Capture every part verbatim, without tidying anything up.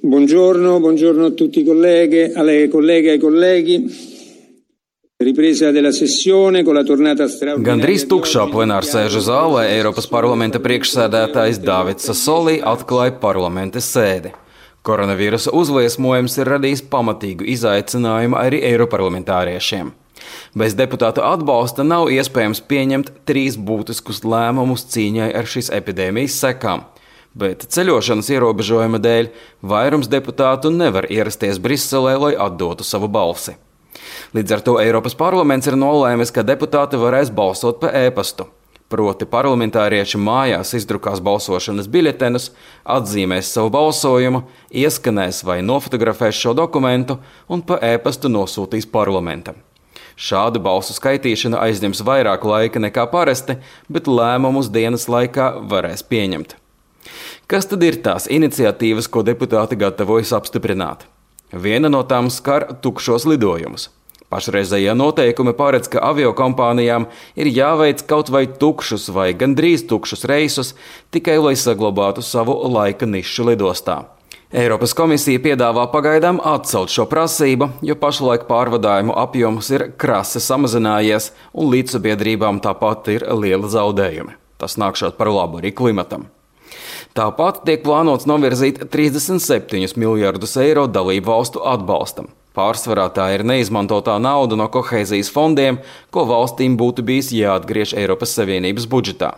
Buongiorno, buongiorno a tutti i colleghe, alle colleghe e ai colleghi. Ripresa della sessione con la tornata straordinaria. Gandrīz tukšā plenārsēžu zālē Eiropas parlamenta priekšsēdētājs Davids Sassoli atklāja parlamenta sēdi. Koronavīrusa uzliesmojums ir radījis pamatīgu izaicinājumu arī eiroparlamentāriešiem. Bez deputātu atbalsta nav iespējams pieņemt trīs būtiskus lēmumus cīņai ar šīs epidēmijas sekām. Bet ceļošanas ierobežojuma dēļ vairums deputātu nevar ierasties Briselē, lai atdotu savu balsi. Līdz ar to Eiropas parlaments ir nolēmis, ka deputāti varēs balsot pa e-pastu. Proti parlamentārieši mājās izdrukās balsošanas biļetenus, atzīmēs savu balsojumu, ieskanēs vai nofotografēs šo dokumentu un pa e-pastu nosūtīs parlamentam. Šāda balsu skaitīšana aizņems vairāk laika nekā parasti, bet lēmumus dienas laikā varēs pieņemt. Kas tad ir tās iniciatīvas, ko deputāti gatavojas apstiprināt? Viena no tām skar tukšos lidojumus. Pašreizējie noteikumi paredz, ka aviokompānijām ir jāveic kaut vai tukšus vai gandrīz tukšus reisus, tikai lai saglabātu savu laika nišu lidostā. Eiropas komisija piedāvā pagaidām atcelt šo prasību, jo pašlaik pārvadājumu apjoms ir krasi samazinājies un līdzsabiedrībām tāpat ir liela zaudējumi. Tas nākšot par labu arī klimatam. Tāpat tiek plānots novirzīt trīsdesmit septiņus miljardus eiro dalību valstu atbalstam. Pārsvarā tā ir neizmantotā nauda no kohēzijas fondiem, ko valstīm būtu bijis jāatgriež Eiropas Savienības budžetā.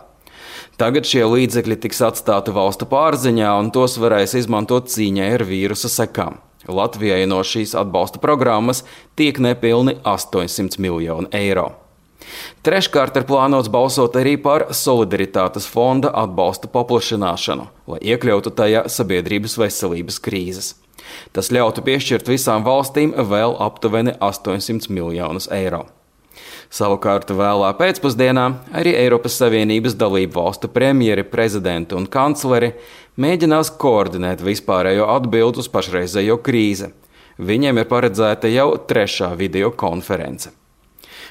Tagad šie līdzekļi tiks atstāti valstu pārziņā un tos varēs izmantot cīņai ar vīrusa sekām. Latvijai no šīs atbalsta programmas tiek nepilni astoņsimt miljoni eiro. Treškārt ir plānots balsot arī par solidaritātes fonda atbalsta paplašināšanu, lai iekļautu tajā sabiedrības veselības krīzes. Tas ļautu piešķirt visām valstīm vēl aptuveni astoņsimt miljonus eiro. Savukārt vēlā pēcpusdienā arī Eiropas Savienības dalību valstu premjeri, prezidenti un kancleri mēģinās koordinēt vispārējo atbildi uz pašreizējo krīzi. Viņiem ir paredzēta jau trešā video konference.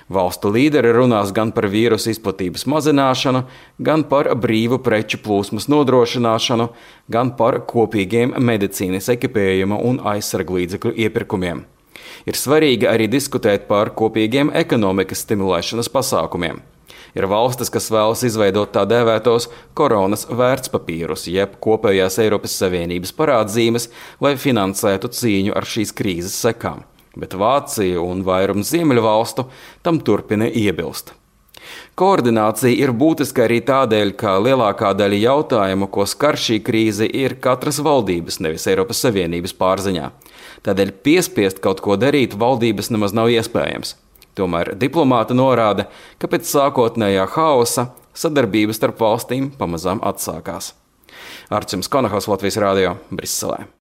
Valstu līderi runās gan par vīrusu izplatības mazināšanu, gan par brīvu preču plūsmas nodrošināšanu, gan par kopīgiem medicīnas ekipējuma un aizsarglīdzekļu iepirkumiem. Ir svarīgi arī diskutēt par kopīgiem ekonomikas stimulēšanas pasākumiem. Ir valstis, kas vēlas izveidot tā dēvētos koronas vērtspapīrus, jeb kopējās Eiropas Savienības parādzīmes, lai finansētu cīņu ar šīs krīzes sekām. Bet Vācija un vairums ziemeļu valstu tam turpina iebilst. Koordinācija ir būtiska arī tādēļ, ka lielākā daļa jautājumu, ko skar šī krīze, ir katras valdības, nevis Eiropas Savienības pārziņā. Tādēļ piespiest kaut ko darīt valdības nemaz nav iespējams. Tomēr diplomāti norāda, ka pēc sākotnējā haosa sadarbības starp valstīm pamazām atsākās. Arčuns Konahaus, Latvijas radio, Briselē.